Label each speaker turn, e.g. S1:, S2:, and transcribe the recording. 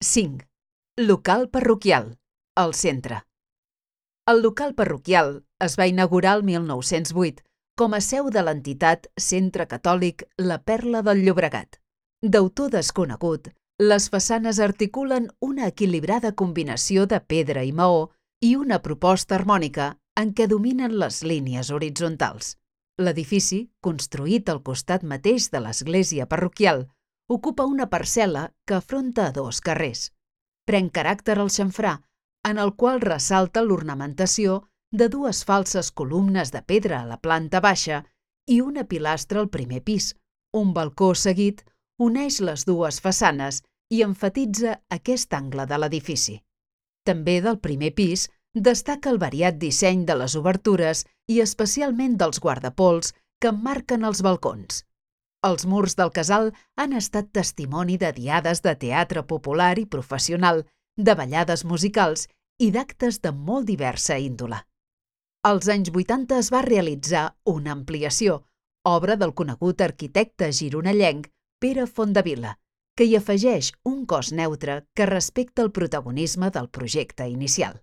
S1: 5. Local parroquial, al centre. El local parroquial es va inaugurar el 1908 com a seu de l'entitat Centre Catòlic La Perla del Llobregat. D'autor desconegut, les façanes articulen una equilibrada combinació de pedra i maó i una proposta harmònica en què dominen les línies horitzontals. L'edifici, construït al costat mateix de l'església parroquial, ocupa una parcel·la que afronta dos carrers. Pren caràcter el xamfrà, en el qual ressalta l'ornamentació de dues falses columnes de pedra a la planta baixa i una pilastra al primer pis. Un balcó seguit uneix les dues façanes i emfatitza aquest angle de l'edifici. També del primer pis destaca el variat disseny de les obertures i especialment dels guardapols que emmarquen els balcons. Els murs del casal han estat testimoni de diades de teatre popular i professional, de ballades musicals i d'actes de molt diversa índole. Als anys 80 es va realitzar una ampliació, obra del conegut arquitecte gironellenc Pere Fondevila, que hi afegeix un cos neutre que respecta el protagonisme del projecte inicial.